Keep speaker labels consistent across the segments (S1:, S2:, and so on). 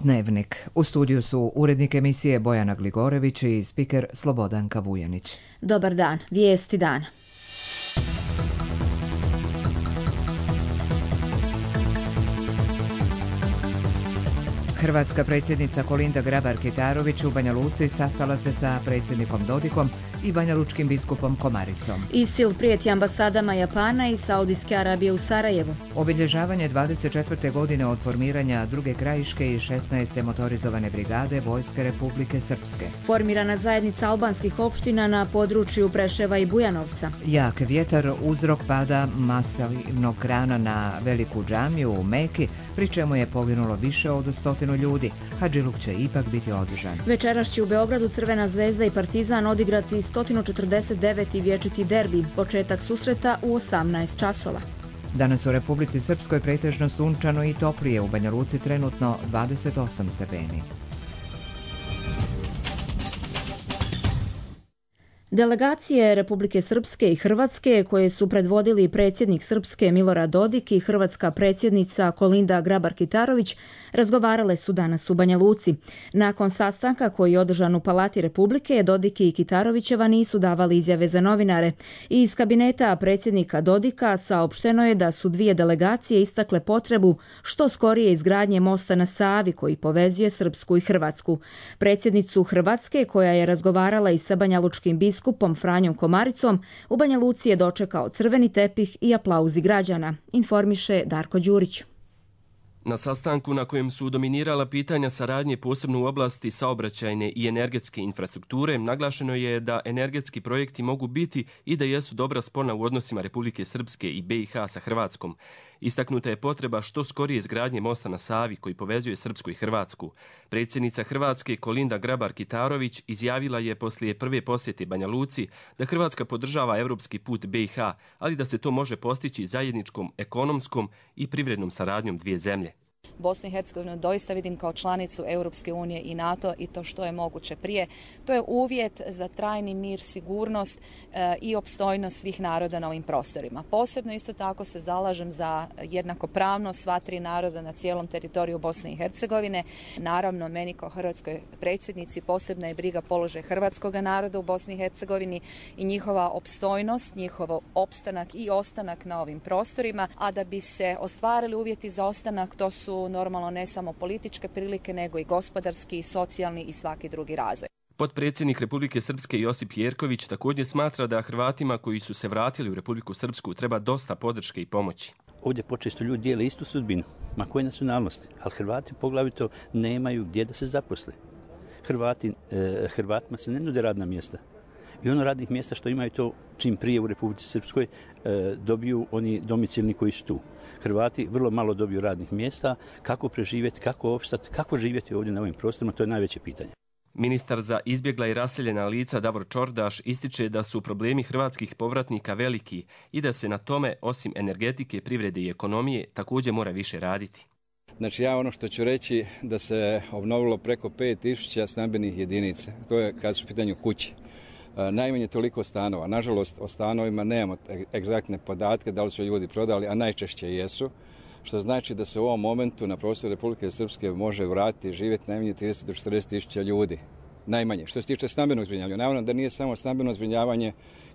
S1: Dnevnik. U studiju su urednik emisije Bojana Gligorević i spiker Slobodanka Vujanić.
S2: Dobar dan, vijesti dana.
S1: Hrvatska predsjednica Kolinda Grabar-Kitarović u Banja Luci sastala se sa predsjednikom Dodikom i banjalučkim biskupom Komaricom.
S2: ISIL prijeti ambasadama Japana i Saudijske Arabije u Sarajevu.
S1: Obilježavanje 24. godine od formiranja druge krajiške i 16. motorizovane brigade Vojske Republike Srpske.
S2: Formirana zajednica albanskih opština na području Preševa i Bujanovca.
S1: Jak vjetar uzrok pada masivnog krana na veliku džamiju u Meki, pri čemu je poginulo više od 100 ljudi. Hadžiluk će ipak biti održan.
S2: Večeras će u Beogradu Crvena zvezda i Partizan odigrati 149. vječiti derbi. Početak susreta u 18 časova.
S1: Danas u Republici Srpskoj pretežno sunčano i toplije, u Banja Luci trenutno 28 stepeni.
S2: Delegacije Republike Srpske i Hrvatske, koje su predvodili predsjednik Srpske Milorad Dodik i hrvatska predsjednica Kolinda Grabar-Kitarović, razgovarale su danas u Banja Luci. Nakon sastanka koji je održan u Palati Republike, Dodik i Kitarovićeva nisu davali izjave za novinare. I iz kabineta predsjednika Dodika saopšteno je da su dvije delegacije istakle potrebu što skorije izgradnje mosta na Savi koji povezuje Srpsku i Hrvatsku. Predsjednicu Hrvatske, koja je razgovarala i sa banjalučkim biskupom Franjom Komaricom, u Banja Luci je dočekao crveni tepih i aplauzi građana, informiše Darko Đurić.
S3: Na sastanku na kojem su dominirala pitanja saradnje posebno u oblasti saobraćajne i energetske infrastrukture, naglašeno je da energetski projekti mogu biti i da jesu dobra spona u odnosima Republike Srpske i BiH sa Hrvatskom. Istaknuta je potreba što skorije izgradnje mosta na Savi koji povezuje Srpsku i Hrvatsku. Predsjednica Hrvatske Kolinda Grabar-Kitarović izjavila je poslije prve posjete Banja Luci da Hrvatska podržava europski put BiH, ali da se to može postići zajedničkom ekonomskom i privrednom saradnjom dvije zemlje.
S4: Bosnu i Hercegovinu doista vidim kao članicu Europske unije i NATO i to što je moguće prije. To je uvjet za trajni mir, sigurnost i opstojnost svih naroda na ovim prostorima. Posebno isto tako se zalažem za jednakopravnost sva tri naroda na cijelom teritoriju Bosne i Hercegovine. Naravno, meni kao hrvatskoj predsjednici posebna je briga položaj hrvatskog naroda u Bosni i Hercegovini i njihova opstojnost, njihov opstanak i ostanak na ovim prostorima, a da bi se ostvarili uvjeti za ostanak, to su normalno ne samo političke prilike, nego i gospodarski, socijalni i svaki drugi razvoj.
S3: Potpredsjednik Republike Srpske Josip Jerković također smatra da Hrvatima koji su se vratili u Republiku Srpsku treba dosta podrške i pomoći.
S5: Ovdje počesto ljudi dijele istu sudbinu, ma koje nacionalnosti, ali Hrvati poglavito nemaju gdje da se zaposle. Hrvatima se ne nude radna mjesta. I ono radnih mjesta što imaju to čim prije u Republici Srpskoj dobiju oni domicilni koji su tu. Hrvati vrlo malo dobiju radnih mjesta, kako preživjeti, kako opstati, kako živjeti ovdje na ovim prostorima, to je najveće pitanje.
S3: Ministar za izbjegla i raseljena lica Davor Čordaš ističe da su problemi hrvatskih povratnika veliki i da se na tome, osim energetike, privrede i ekonomije, također mora više raditi.
S6: Znači ja ono što ću reći da se obnovilo preko 5000 stambenih jedinica, to je kad su u pitanju kuće. Najmanje toliko stanova. Nažalost, o stanovima nemamo egzaktne podatke da li su ljudi prodali, a najčešće jesu, što znači da se u ovom momentu na prostoru Republike Srpske može vratiti i živjeti najmanje 30 do 40 tisuća ljudi. Najmanje. Što se tiče stambenog zbrinjavanja, naravno da nije samo stambeno zbrinjavanje,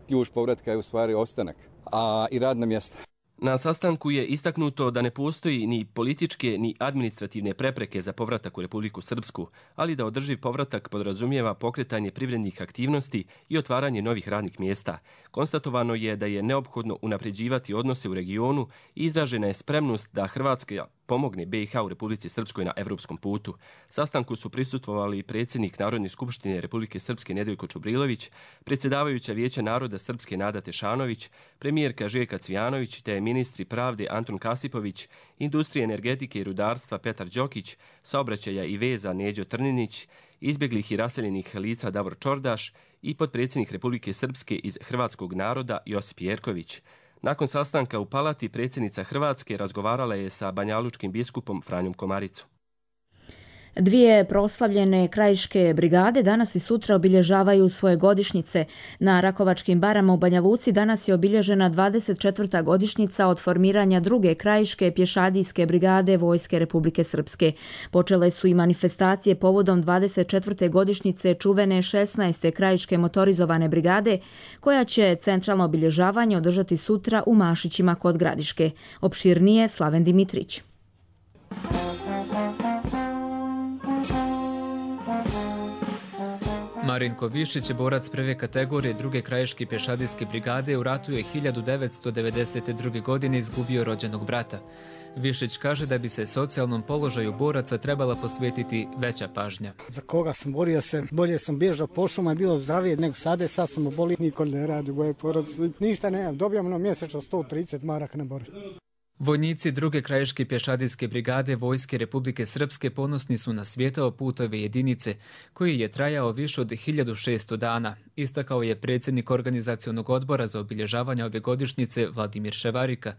S6: ključ povratka je u stvari ostanak, a i radna mjesta.
S3: Na sastanku je istaknuto da ne postoji ni političke ni administrativne prepreke za povratak u Republiku Srpsku, ali da održiv povratak podrazumijeva pokretanje privrednih aktivnosti i otvaranje novih radnih mjesta. Konstatovano je da je neophodno unapređivati odnose u regionu i izražena je spremnost da Hrvatska pomogne BiH u Republici Srpskoj na evropskom putu. Sastanku su prisustvovali predsjednik Narodne skupštine Republike Srpske Nedjeljko Čubrilović, predsjedavajuća Vijeća naroda Srpske Nada Tešanović, premijerka Željka Cvijanović te ministri pravde Antun Kasipović, industrije, energetike i rudarstva Petar Đokić, saobraćaja i veza Neđo Trninić, izbjeglih i raseljenih lica Davor Čordaš i potpredsjednik Republike Srpske iz hrvatskog naroda Josip Jerković. Nakon sastanka u Palati, predsjednica Hrvatske razgovarala je sa banjalučkim biskupom Franjom Komaricom.
S2: Dvije proslavljene krajiške brigade danas i sutra obilježavaju svoje godišnjice. Na Rakovačkim barama u Banja Luci danas je obilježena 24. godišnjica od formiranja druge krajiške pješadijske brigade Vojske Republike Srpske. Počele su i manifestacije povodom 24. godišnjice čuvene 16. krajiške motorizovane brigade, koja će centralno obilježavanje održati sutra u Mašićima kod Gradiške. Opširnije Slaven Dimitrić.
S7: Marinko Višić, borac prve kategorije druge krajiške pješadijske brigade, u ratu je 1992. godine izgubio rođenog brata. Višić kaže da bi se socijalnom položaju boraca trebala posvetiti veća pažnja.
S8: Za koga sam borio se, bolje sam bježao po šuma, je bilo zdravije nego sada, sad sam obolio, niko ne radi u moje porodici. Ništa nemam, dobijam mjesečno 130 maraka na borbi.
S7: Vojnici druge krajiške pješadijske brigade Vojske Republike Srpske ponosni su na svijetao putove jedinice, koji je trajao više od 1600 dana, istakao je predsjednik organizacionog odbora za obilježavanje ove godišnjice Vladimir Ševarika,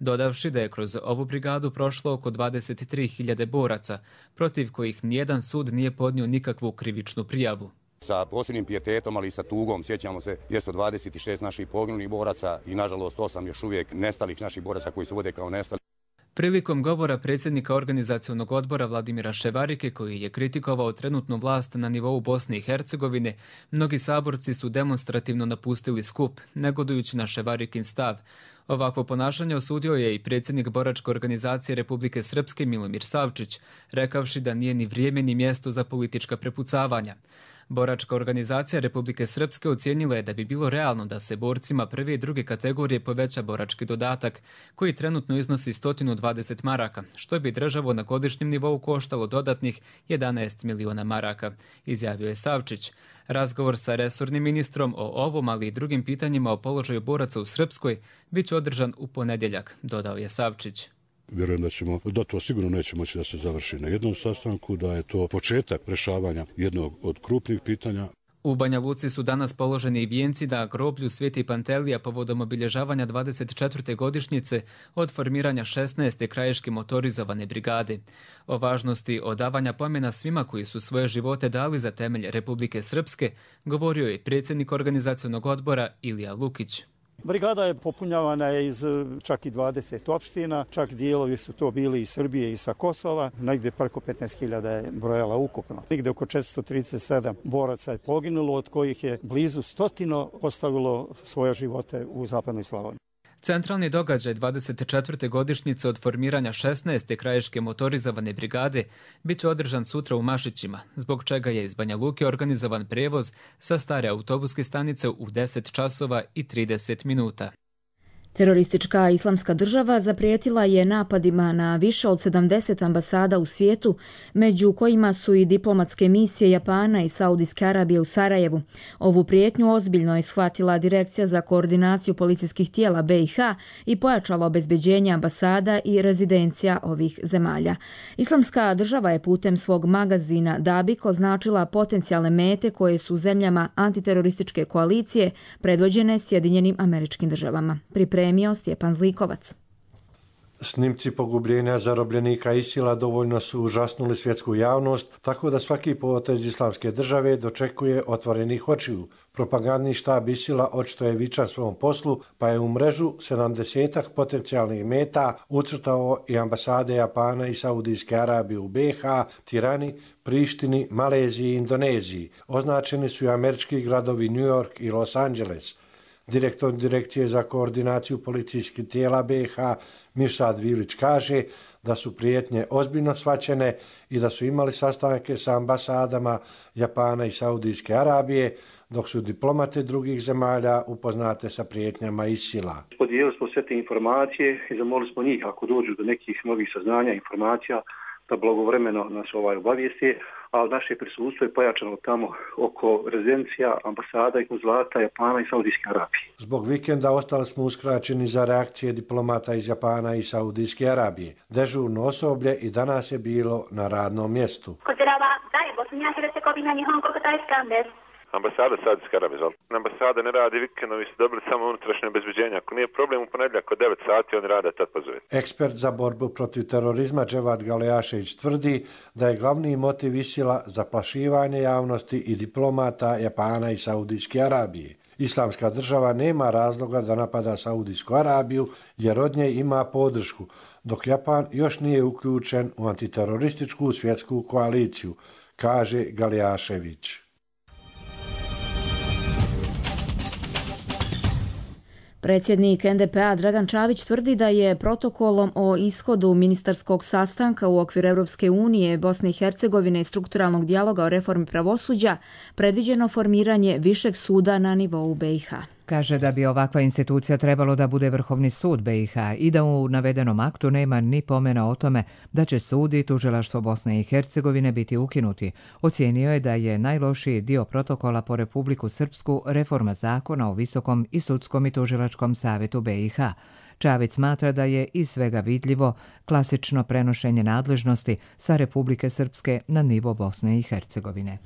S7: dodavši da je kroz ovu brigadu prošlo oko 23.000 boraca, protiv kojih nijedan sud nije podnio nikakvu krivičnu prijavu.
S9: Sa posebnim pijetetom, ali i sa tugom sjećamo se 226 naših poginulih boraca i nažalost 8 još uvijek nestalih naših boraca koji se vode kao nestali.
S7: Prilikom govora predsjednika organizacionog odbora Vladimira Ševarike, koji je kritikovao trenutnu vlast na nivou Bosne i Hercegovine, mnogi saborci su demonstrativno napustili skup, negodujući na Ševarikin stav. Ovakvo ponašanje osudio je i predsjednik boračke organizacije Republike Srpske Milomir Savčić, rekavši da nije ni vrijeme ni mjesto za politička prepucavanja. Boračka organizacija Republike Srpske ocijenila je da bi bilo realno da se borcima prve i druge kategorije poveća borački dodatak, koji trenutno iznosi 120 maraka, što bi državu na godišnjem nivou koštalo dodatnih 11 miliona maraka, izjavio je Savčić. Razgovor sa resornim ministrom o ovom, ali i drugim pitanjima o položaju boraca u Srpskoj bit će održan u ponedjeljak, dodao je Savčić.
S10: Vjerujem da to sigurno neće moći da se završi na jednom sastanku, da je to početak rješavanja jednog od krupnih pitanja.
S7: U Banja Luci su danas položeni i vijenci na groblju Sveti Pantelija povodom obilježavanja 24. godišnjice od formiranja 16. krajiške motorizovane brigade. O važnosti odavanja pomena svima koji su svoje živote dali za temelj Republike Srpske govorio je predsjednik organizacionog odbora Ilija Lukić.
S11: Brigada je popunjavana iz čak i 20 opština, čak dijelovi su to bili iz Srbije i sa Kosova, negdje preko 15.000 je brojala ukupno. Negdje oko 437 boraca je poginulo, od kojih je blizu 100 ostavilo svoje živote u zapadnoj Slavoniji.
S7: Centralni događaj 24. godišnjice od formiranja 16. krajiške motorizovane brigade bit će održan sutra u Mašićima, zbog čega je iz Banja Luke organizovan prevoz sa stare autobuske stanice u 10 časova i 30 minuta.
S2: Teroristička islamska država zaprijetila je napadima na više od 70 ambasada u svijetu, među kojima su i diplomatske misije Japana i Saudijske Arabije u Sarajevu. Ovu prijetnju ozbiljno je shvatila Direkcija za koordinaciju policijskih tijela BiH i pojačala obezbeđenje ambasada i rezidencija ovih zemalja. Islamska država je putem svog magazina Dabik označila potencijalne mete koje su zemljama antiterorističke koalicije predvođene Sjedinjenim Američkim Državama. Pripremio Stjepan Zlikovac.
S12: Snimci pogubljenja zarobljenika ISIL-a dovoljno su užasnuli svjetsku javnost, tako da svaki potez Islamske države dočekuje otvorenih očiju. Propagandni štab ISIL-a očito je vičan svom poslu, pa je u mrežu 70 potencijalnih meta ucrtao i ambasade Japana i Saudijske Arabije u BiH, Tirani, Prištini, Maleziji i Indoneziji. Označeni su i američki gradovi New York i Los Angeles. Direktor Direkcije za koordinaciju policijskih tijela BiH Mirsad Vilić kaže da su prijetnje ozbiljno shvaćene i da su imali sastanke sa ambasadama Japana i Saudijske Arabije, dok su diplomate drugih zemalja upoznate sa prijetnjama ISIL-a.
S13: Podijelili smo sve te informacije i zamolili smo njih ako dođu do nekih novih saznanja, informacija, da blagovremeno nas obavijesti, a naše prisustvo je pojačano tamo oko rezidencija, ambasada i konzulata Japana i Saudijske Arabije.
S12: Zbog vikenda ostali smo uskraćeni za reakcije diplomata iz Japana i Saudijske Arabije. Dežurno osoblje i danas je bilo na radnom mjestu.
S14: Ambasada Saudijske Arabije. Ambasada ne radi vikendovi, su dobili samo unutrašnje obezbeđenje. Ako nije problem u ponedjeljak od 9 sati, oni rade tad pozovete.
S12: Ekspert za borbu protiv terorizma Dževad Galejašević tvrdi da je glavni motiv ISIL-a zaplašivanje javnosti i diplomata Japana i Saudijske Arabije. Islamska država nema razloga da napada Saudijsku Arabiju jer od nje ima podršku, dok Japan još nije uključen u antiterorističku svjetsku koaliciju, kaže Galejašević.
S2: Predsjednik NDP-a Dragan Čavić tvrdi da je protokolom o ishodu ministarskog sastanka u okviru Europske unije, Bosne i Hercegovine i strukturalnog dijaloga o reformi pravosuđa predviđeno formiranje višeg suda na nivou BiH.
S1: Kaže da bi ovakva institucija trebalo da bude Vrhovni sud BiH i da u navedenom aktu nema ni pomena o tome da će sud i tužilaštvo Bosne i Hercegovine biti ukinuti. Ocijenio je da je najlošiji dio protokola po Republiku Srpsku reforma zakona o Visokom i sudskom i tužilačkom savjetu BiH. Čavić smatra da je iz svega vidljivo klasično prenošenje nadležnosti sa Republike Srpske na nivo Bosne i Hercegovine.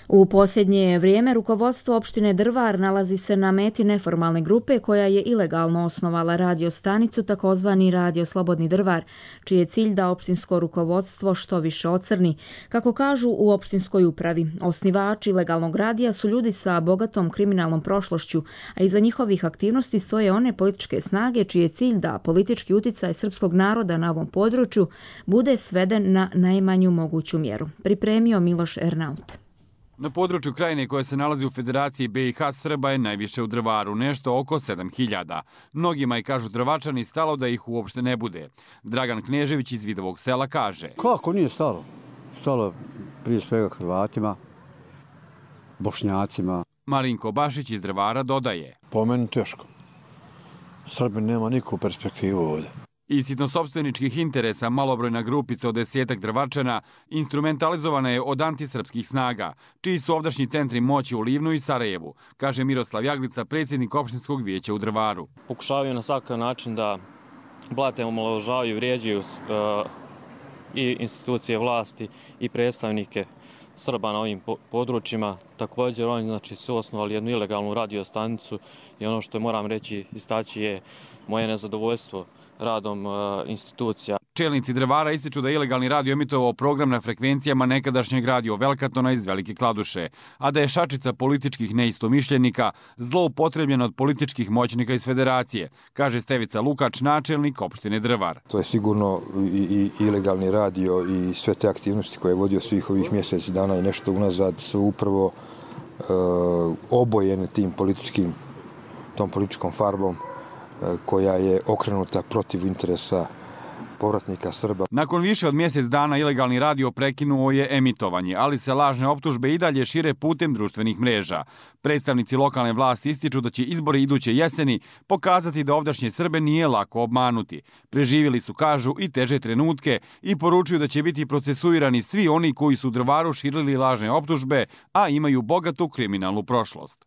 S2: U posljednje vrijeme rukovodstvo opštine Drvar nalazi se na meti neformalne grupe koja je ilegalno osnovala radio stanicu takozvani Radio Slobodni Drvar, čiji je cilj da opštinsko rukovodstvo što više ocrni. Kako kažu u opštinskoj upravi, osnivači ilegalnog radija su ljudi sa bogatom kriminalnom prošlošću, a iza njihovih aktivnosti stoje one političke snage čiji je cilj da politički uticaj srpskog naroda na ovom području bude sveden na najmanju moguću mjeru. Pripremio Miloš Ernaut.
S15: Na području krajine koje se nalazi u Federaciji BiH Srba je najviše u Drvaru, nešto oko 7000. Mnogima je, kažu Drvačani, stalo da ih uopšte ne bude. Dragan Knežević iz Vidovog sela kaže:
S16: Kako nije stalo? Stalo prije svega Hrvatima, Bošnjacima.
S15: Marinko Bašić iz Drvara dodaje:
S17: Po meni teško. Srbi nema nikakvu perspektivu ovdje.
S15: Iz sitnosopstveničkih interesa malobrojna grupica od 10 Drvačana instrumentalizovana je od antisrpskih snaga, čiji su ovdašnji centri moći u Livnu i Sarajevu, kaže Miroslav Jaglica, predsjednik opštinskog vijeća u Drvaru.
S18: Pokušavaju na svakav način da blate, omalovažavaju, vrijeđaju i institucije vlasti i predstavnike Srba na ovim područjima. Također oni su osnovali jednu ilegalnu radio stanicu i ono što moram reći, istaći je moje nezadovoljstvo radom institucija.
S15: Čelnici Drvara ističu da je ilegalni radio emitovao program na frekvencijama nekadašnjeg radio Velkatona iz Velike Kladuše, a da je šačica političkih neistomišljenika zloupotrebljena od političkih moćnika iz Federacije, kaže Stevica Lukač, načelnik opštine Drvar.
S19: To je sigurno i ilegalni radio i sve te aktivnosti koje je vodio svih ovih mjeseci dana i nešto unazad su upravo obojene tom političkom farbom koja je okrenuta protiv interesa povratnika Srba.
S15: Nakon više od mjesec dana ilegalni radio prekinuo je emitovanje, ali se lažne optužbe i dalje šire putem društvenih mreža. Predstavnici lokalne vlasti ističu da će izbori iduće jeseni pokazati da ovdašnje Srbe nije lako obmanuti. Preživjeli su, kažu, i teže trenutke i poručuju da će biti procesuirani svi oni koji su u Drvaru širili lažne optužbe, a imaju bogatu kriminalnu prošlost.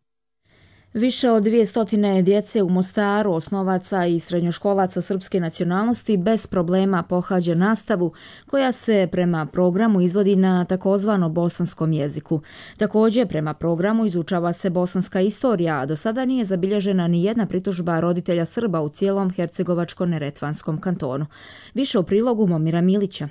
S2: Više od 200 djece u Mostaru, osnovaca i srednjoškolaca srpske nacionalnosti, bez problema pohađa nastavu koja se prema programu izvodi na takozvano bosanskom jeziku. Također, prema programu izučava se bosanska istorija, a do sada nije zabilježena ni jedna pritužba roditelja Srba u cijelom Hercegovačko-Neretvanskom kantonu. Više u prilogu Momira Milića.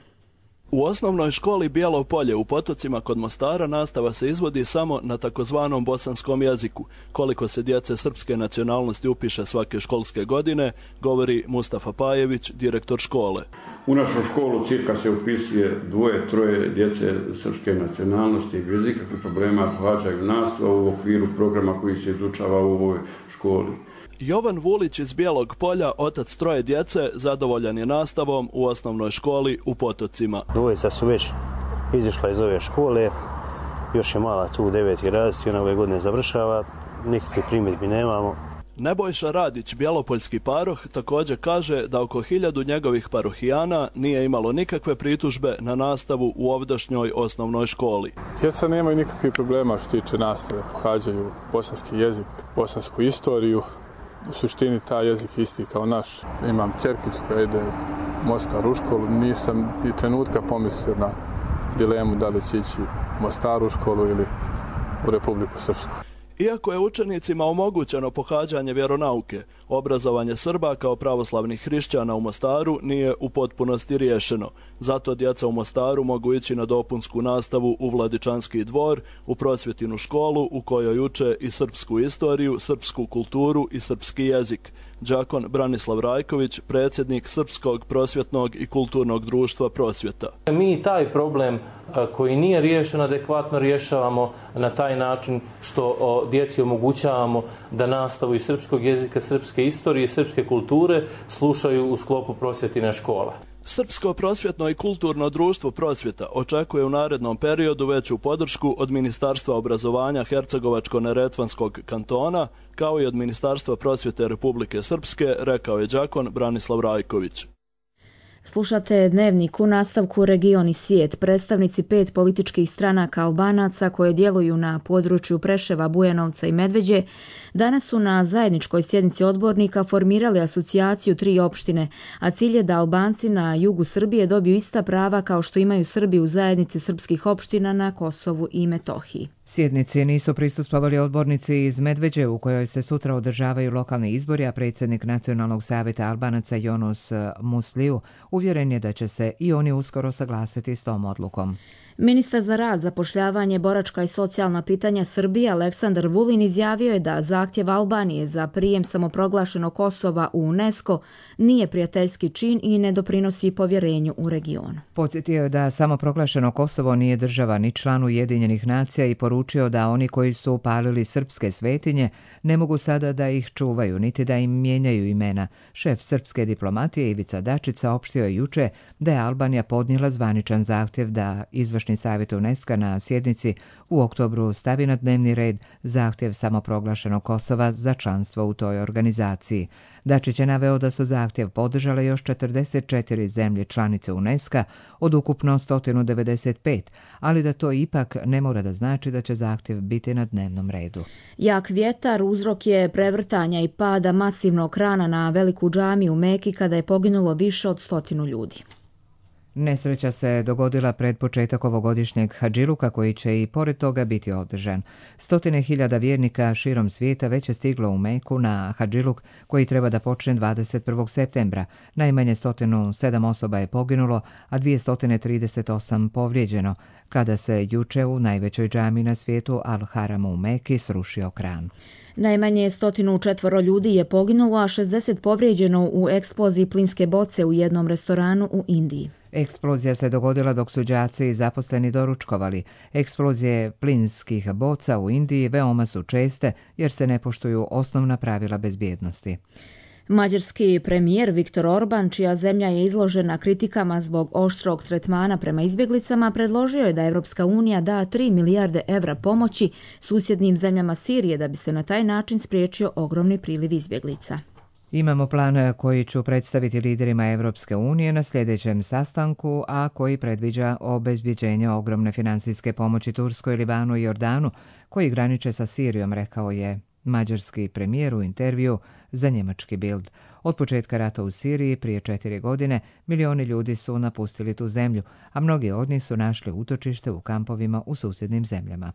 S20: U osnovnoj školi Bijelo Polje u Potocima kod Mostara nastava se izvodi samo na takozvanom bosanskom jeziku. Koliko se djece srpske nacionalnosti upiše svake školske godine, govori Mustafa Pajević, direktor škole.
S21: U našu školu cirka se upisuje 2-3 djece srpske nacionalnosti i bez ikakvih problema pohađaju nastavu u okviru programa koji se izučava u ovoj školi.
S20: Jovan Vulić iz Bijelog Polja, otac 3 djece, zadovoljan je nastavom u osnovnoj školi u Potocima.
S22: Dvojica su već izišla iz ove škole, još je mala tu 9. razred i ona ove godine završava, nikakve primjedbi nemamo.
S20: Nebojša Radić, bjelopoljski paroh, također kaže da oko 1000 njegovih parohijana nije imalo nikakve pritužbe na nastavu u ovdašnjoj osnovnoj školi.
S23: Djeca nemaju nikakvih problema što tiče nastave, pohađaju bosanski jezik, bosansku istoriju. U suštini taj jezik isti kao naš. Imam ćerkicu koja ide u Mostar u školu, nisam i trenutka pomislio na dilemu da li će ići u Mostar u školu ili u Republiku Srpsku.
S20: Iako je učenicima omogućeno pohađanje vjeronauke, obrazovanje Srba kao pravoslavnih hrišćana u Mostaru nije u potpunosti riješeno. Zato djeca u Mostaru mogu ići na dopunsku nastavu u Vladičanski dvor, u prosvjetinu školu u kojoj uče i srpsku istoriju, srpsku kulturu i srpski jezik. Đakon Branislav Rajković, predsjednik Srpskog prosvjetnog i kulturnog društva Prosvjeta.
S4: Mi taj problem koji nije riješen adekvatno rješavamo na taj način što djeci omogućavamo da nastavu iz srpskog jezika, srpske istorije i srpske kulture slušaju u sklopu prosvjetine škola.
S20: Srpsko prosvjetno i kulturno društvo Prosvjeta očekuje u narednom periodu veću podršku od Ministarstva obrazovanja Hercegovačko-neretvanskog kantona, kao i od Ministarstva prosvjete Republike Srpske, rekao je đakon Branislav Rajković.
S2: Slušate Dnevnik u nastavku Region i svijet. Predstavnici 5 političkih stranaka Albanaca koje djeluju na području Preševa, Bujanovca i Medveđe danas su na zajedničkoj sjednici odbornika formirali asocijaciju 3 opštine, a cilj je da Albanci na jugu Srbije dobiju ista prava kao što imaju Srbi u zajednici srpskih opština na Kosovu i Metohiji.
S1: Sjednici nisu prisustvovali odbornici iz Medveđe u kojoj se sutra održavaju lokalni izbori, a predsjednik Nacionalnog savjeta Albanaca Yonos Musliju uvjeren je da će se i oni uskoro saglasiti s tom odlukom.
S2: Ministar za rad, zapošljavanje, boračka i socijalna pitanja Srbije Aleksandar Vulin izjavio je da zahtjev Albanije za prijem samoproglašenog Kosova u UNESCO nije prijateljski čin i ne doprinosi povjerenju u regionu.
S1: Podsjetio je da samoproglašeno Kosovo nije država ni član Ujedinjenih nacija i poručio da oni koji su upalili srpske svetinje ne mogu sada da ih čuvaju niti da im mijenjaju imena. Šef srpske diplomatije Ivica Dačić saopštio je juče da je Albanija podnijela zvaničan zahtjev da izvršni savjet UNESCO na sjednici u oktobru stavi na dnevni red zahtjev samoproglašenog Kosova za članstvo u toj organizaciji. Dačić je naveo da su zahtjev podržale još 44 zemlje članice UNESCO od ukupno 195, ali da to ipak ne mora da znači da će zahtjev biti na dnevnom redu.
S2: Jak vjetar uzrok je prevrtanja i pada masivnog krana na veliku džamiju u Meki kada je poginulo više od 100 ljudi.
S1: Nesreća se dogodila pred početak ovogodišnjeg hadžiluka koji će i pored toga biti održan. 100.000 vjernika širom svijeta već je stiglo u Meku na hadžiluk koji treba da počne 21. septembra. Najmanje 107 osoba je poginulo, a 238 povrijeđeno, kada se juče u najvećoj džami na svijetu Al-Haramu u Meki srušio kran.
S2: Najmanje 104 ljudi je poginulo, a 60 povrijeđeno u eksploziji plinske boce u jednom restoranu u Indiji.
S1: Eksplozija se dogodila dok su đaci i zaposleni doručkovali. Eksplozije plinskih boca u Indiji veoma su česte jer se ne poštuju osnovna pravila bezbjednosti.
S2: Mađarski premijer Viktor Orban, čija zemlja je izložena kritikama zbog oštrog tretmana prema izbjeglicama, predložio je da Evropska unija da 3 milijarde evra pomoći susjednim zemljama Sirije da bi se na taj način spriječio ogromni priliv izbjeglica.
S1: Imamo plan koji ću predstaviti liderima Evropske unije na sljedećem sastanku, a koji predviđa obezbjeđenje ogromne finansijske pomoći Turskoj, Libanu i Jordanu, koji graniče sa Sirijom, rekao je mađarski premijer u intervju za njemački Bild. Od početka rata u Siriji prije 4 godine milioni ljudi su napustili tu zemlju, a mnogi od njih su našli utočište u kampovima u susjednim zemljama.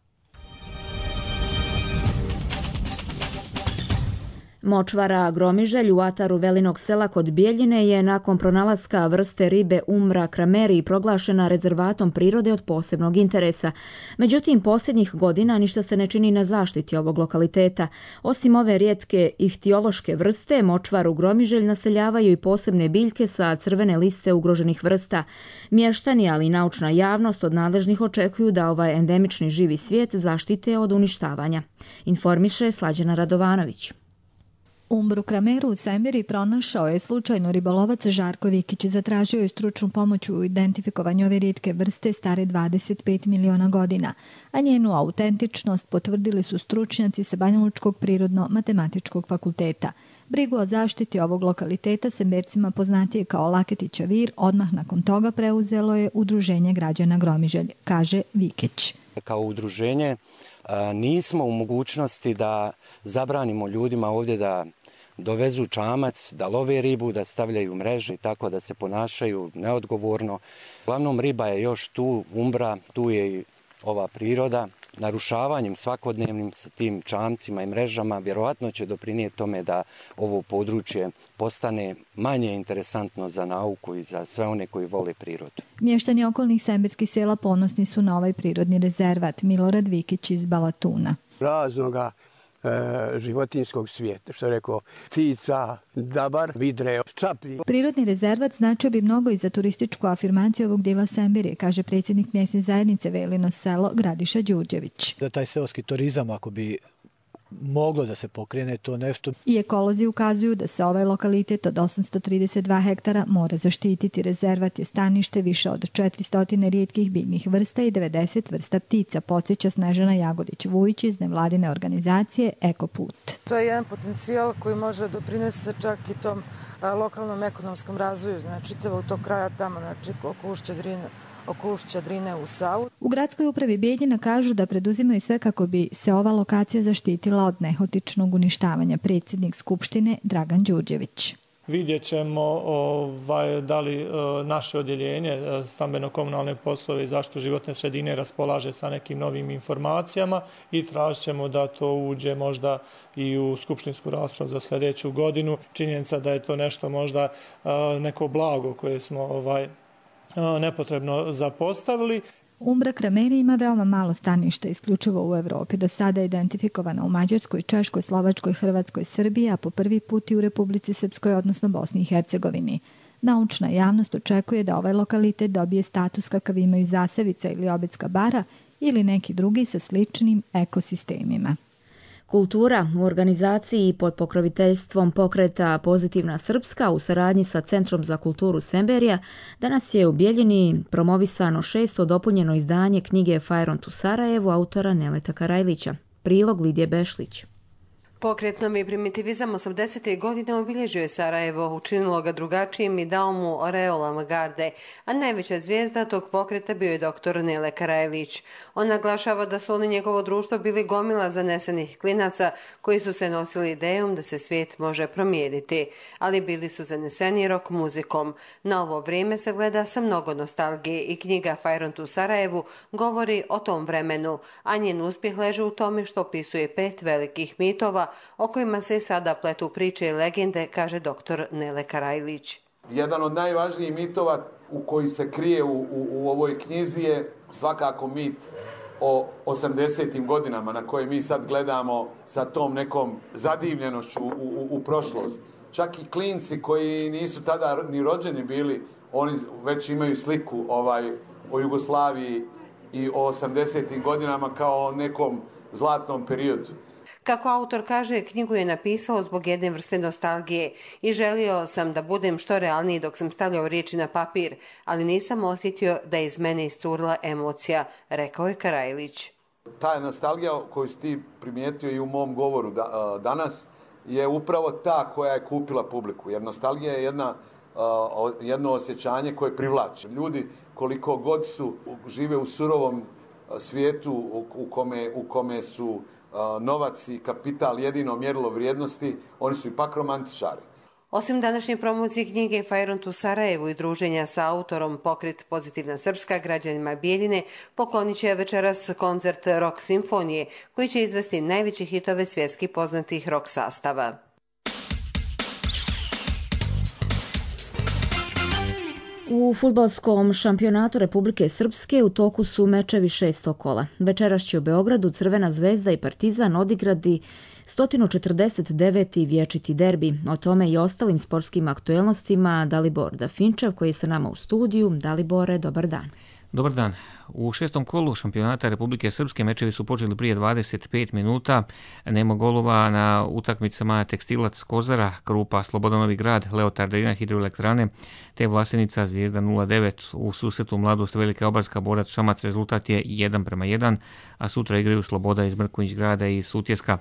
S2: Močvara Gromiželj u ataru Velinog sela kod Bijeljine je nakon pronalaska vrste ribe Umbra krameri proglašena rezervatom prirode od posebnog interesa. Međutim, posljednjih godina ništa se ne čini na zaštiti ovog lokaliteta. Osim ove rijetke ihtiološke vrste, močvaru Gromiželj naseljavaju i posebne biljke sa crvene liste ugroženih vrsta. Mještani, ali i naučna javnost od nadležnih očekuju da ovaj endemični živi svijet zaštite od uništavanja. Informiše Slađana Radovanović.
S5: Umbru krameru u Semiri pronašao je slučajno ribolovac Žarko Vikić. Zatražio je stručnu pomoć u identifikovanju ove rijetke vrste stare 25 miliona godina, a njenu autentičnost potvrdili su stručnjaci sa Banjalučkog prirodno-matematičkog fakulteta. Brigu o zaštiti ovog lokaliteta Sembercima poznatije kao Laketića vir odmah nakon toga preuzelo je Udruženje građana Gromiželj, kaže Vikić.
S6: Kao udruženje nismo u mogućnosti da zabranimo ljudima ovdje da dovezu čamac, da love ribu, da stavljaju mreže, tako da se ponašaju neodgovorno. Uglavnom riba je još tu, umbra, tu je i ova priroda, narušavanjem svakodnevnim sa tim čamcima i mrežama vjerovatno će doprinijeti tome da ovo područje postane manje interesantno za nauku i za sve one koji vole prirodu.
S5: Mještani okolnih semberskih sela ponosni su na ovaj prirodni rezervat. Milorad Vikić iz Balatuna.
S3: Raznoga životinjskog svijeta, što je rekao, ptica, dabar, vidre, čaplji.
S5: Prirodni rezervat značio bi mnogo i za turističku afirmaciju ovog dijela Semberije, kaže predsjednik mjesne zajednice Velino selo Gradiša Đurđević.
S8: Da taj seoski turizam, ako bi moglo da se pokrene to nešto.
S5: I ekolozi ukazuju da se ovaj lokalitet od 832 hektara mora zaštititi. Rezervat je stanište više od 400 rijetkih biljnih vrsta i 90 vrsta ptica, podsjeća Snežana Jagodić-Vujić iz nevladine organizacije Ekoput.
S9: To je jedan potencijal koji može doprinesti čak i tom lokalnom ekonomskom razvoju, znači čitavog tog kraja tamo, znači oko Ušća Drine u Savu.
S5: U gradskoj upravi Bijeljina kažu da preduzimaju sve kako bi se ova lokacija zaštitila od nehotičnog uništavanja. Predsjednik Skupštine Dragan Đurđević.
S24: Vidjet ćemo da li naše odjeljenje stambeno-komunalne poslove i zaštitu životne sredine raspolaže sa nekim novim informacijama i tražit ćemo da to uđe možda i u skupštinsku raspravu za sljedeću godinu. Činjenica da je to nešto možda neko blago koje smo nepotrebno zapostavili.
S5: Umbra Krameri ima veoma malo staništa, isključivo u Evropi. Do sada je identifikovana u Mađarskoj, Češkoj, Slovačkoj, Hrvatskoj, Srbiji, a po prvi put i u Republici Srpskoj, odnosno Bosni i Hercegovini. Naučna javnost očekuje da ovaj lokalitet dobije status kakav imaju Zasavica ili Obedska bara ili neki drugi sa sličnim ekosistemima.
S2: Kultura u organizaciji pod pokroviteljstvom pokreta Pozitivna Srpska u saradnji sa Centrom za kulturu Semberija danas je u Bijeljini promovisano 6. dopunjeno izdanje knjige Fajront u Sarajevu autora Neleta Karajlića. Prilog Lidije Bešlić.
S25: Pokret Novi primitivizam 80. godina obilježio je Sarajevo, učinilo ga drugačijim i dao mu oreol avangarde, a najveća zvijezda tog pokreta bio je dr. Nele Karajlić. On naglašava da su oni njegovo društvo bili gomila zanesenih klinaca koji su se nosili idejom da se svijet može promijeniti, ali bili su zaneseni rock muzikom. Na ovo vrijeme se gleda sa mnogo nostalgije i knjiga Fajront u Sarajevu govori o tom vremenu, a njen uspjeh leži u tome što opisuje 5 velikih mitova o kojima se sada pletu priče i legende, kaže dr. Nele Karajlić.
S26: Jedan od najvažnijih mitova u koji se krije u ovoj knjizi je svakako mit o 80. godinama na koje mi sad gledamo sa tom nekom zadivljenošću u prošlost. Čak i klinci koji nisu tada ni rođeni bili, oni već imaju sliku o Jugoslaviji i o 80. godinama kao o nekom zlatnom periodu.
S25: Kako autor kaže, knjigu je napisao zbog jedne vrste nostalgije i želio sam da budem što realniji dok sam stavljao riječi na papir, ali nisam osjetio da je iz mene iscurila emocija, rekao je Karajlić.
S26: Ta nostalgija koju si ti primijetio i u mom govoru danas je upravo ta koja je kupila publiku, jer nostalgija je jedno osjećanje koje privlači. Ljudi koliko god žive u surovom svijetu u kome su novac i kapital jedino mjerilo vrijednosti, oni su ipak romantičari.
S25: Osim današnje promocije knjige Fajront u Sarajevu i druženja sa autorom pokret Pozitivna Srpska građanima Bijeljine, poklonit će večeras koncert rock simfonije koji će izvesti najveće hitove svjetski poznatih rock sastava.
S2: U fudbalskom šampionatu Republike Srpske u toku su mečevi 6. kola. Večeras će u Beogradu Crvena zvezda i Partizan odigrati 149. vječiti derbi. O tome i ostalim sportskim aktuelnostima Dalibor Dafinčev koji je sa nama u studiju. Dalibore, dobar dan.
S27: Dobar dan. U 6. kolu šampionata Republike Srpske mečevi su počeli prije 25 minuta. Nema golova na utakmicama Tekstilac Kozara, Krupa Slobodan Novi Grad, Leotar Drina Hidroelektrane te Vlasenica Zvijezda 0-9. U susretu Mladost Velika Obarska Borac Šamac rezultat je 1-1, a sutra igraju Sloboda iz Mrkonjić Grada i Sutjeska.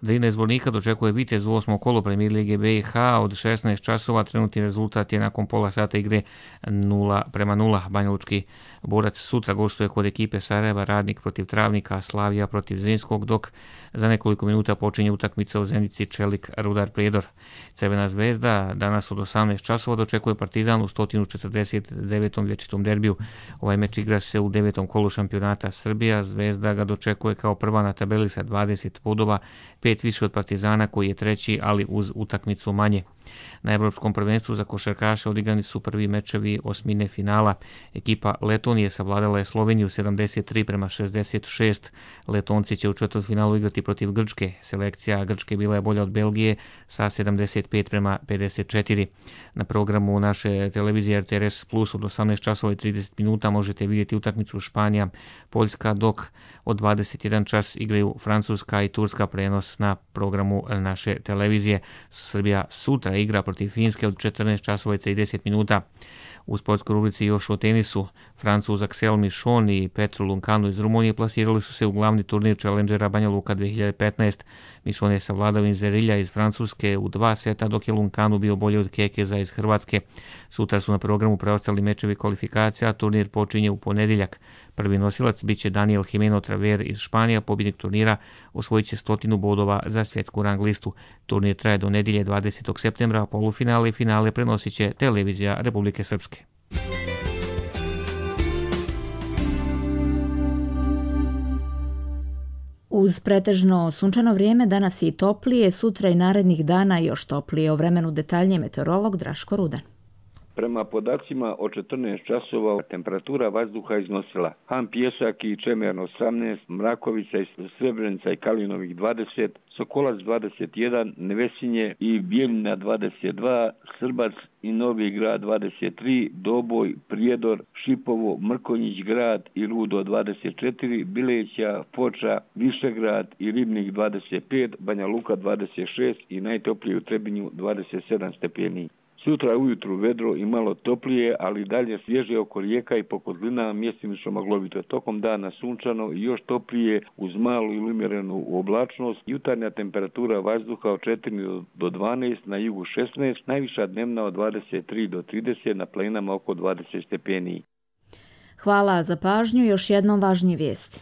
S27: Drina iz Zvornika dočekuje Vitez u 8. kolu Premijer Lige BiH od 16 časova. Trenutni rezultat je nakon pola sata igre 0-0. Banja Lučki Borac sutra gostuje kod ekipe Sarajeva Radnik protiv Travnika, Slavija protiv Zrinskog, dok za nekoliko minuta počinje utakmica u Zenici Čelik Rudar Prijedor. Crvena zvezda danas od 18 časova dočekuje Partizan u 149. vječitom derbiju. Ovaj meč igra se u 9. kolu šampionata Srbija. Zvezda ga dočekuje kao prva na tabeli sa 20 bodova, 5 više od Partizana koji je treći, ali uz utakmicu manje. Na Evropskom prvenstvu za košarkaše odigrani su prvi mečevi osmine finala. Ekipa Letonije savladala je Sloveniju 73-66. Letonci će u četvrtfinalu igrati protiv Grčke. Selekcija Grčke bila je bolja od Belgije sa 75-54. Na programu naše televizije RTS Plus od 18 časova i 30 minuta možete vidjeti utakmicu Španija Poljska, dok od 21 čas igraju Francuska i Turska, prenos na programu naše televizije. Srbija sutra igra protiv Finske od 14 časova i 30 minuta. U sportskoj rubrici još o tenisu. Francuz Axel Michon i Petru Lunkanu iz Rumunije plasirali su se u glavni turnir Challengera Banja Luka 2015. Michon je savladao Inzerilja iz Francuske u 2 seta, dok je Lunkanu bio bolji od Kekeza iz Hrvatske. Sutra su na programu preostali mečevi kvalifikacija, a turnir počinje u ponedjeljak. Prvi nosilac biće Daniel Jimeno Traver iz Španija, pobjednik turnira osvojit će 100 bodova za svjetsku rang listu. Turnir traje do nedjelje 20. septembra, a polufinale i finale prenosit će televizija Republike Srpske.
S2: Uz pretežno sunčano vrijeme danas je i toplije, sutra i narednih dana još toplije. O vremenu detaljnije meteorolog Draško Rudan.
S7: Prema podacima od 14 časova temperatura vazduha iznosila Han Pjesak i Čemer 18, Mrakovica i Srebrenica i Kalinovih 20, Sokolac 21, Nevesinje i Bijeljina 22, Srbac i Novi Grad 23, Doboj, Prijedor, Šipovo, Mrkonjić Grad i Rudo 24, Bileća, Foča, Višegrad i Ribnik 25, Banja Luka 26 i najtoplije u Trebinju 27 stepeni. Sutra ujutru vedro i malo toplije, ali dalje svježe oko rijeka i po kotlina, mjestimično maglovito. Tokom dana sunčano i još toplije uz malu ili umjerenu oblačnost. Jutarnja temperatura vazduha od 4 do 12, na jugu 16, najviša dnevna od 23 do 30, na planinama oko 20 stepeni.
S2: Hvala za pažnju, još jednom važnije vijesti.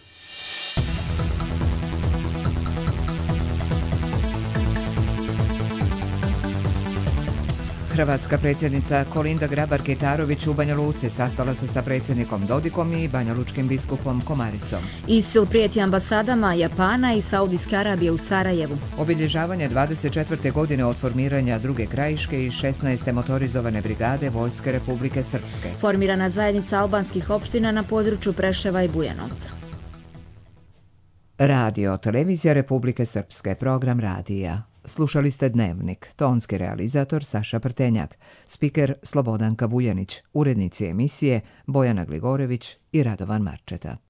S1: Hrvatska predsjednica Kolinda Grabar-Kitarović u Banja Luci sastala se sa predsjednikom Dodikom i banjalučkim biskupom Komaricom.
S2: ISIL prijeti ambasadama Japana i Saudijske Arabije u Sarajevu.
S1: Obilježavanje 24. godine od formiranja druge krajiške i 16. motorizovane brigade Vojske Republike Srpske.
S2: Formirana zajednica albanskih opština na području Preševa i Bujanovca.
S1: Radio, televizija Republike Srpske, program radija. Slušali ste Dnevnik, tonski realizator Saša Prtenjak, spiker Slobodanka Vujanić, urednici emisije Bojana Gligorević i Radovan Marčeta.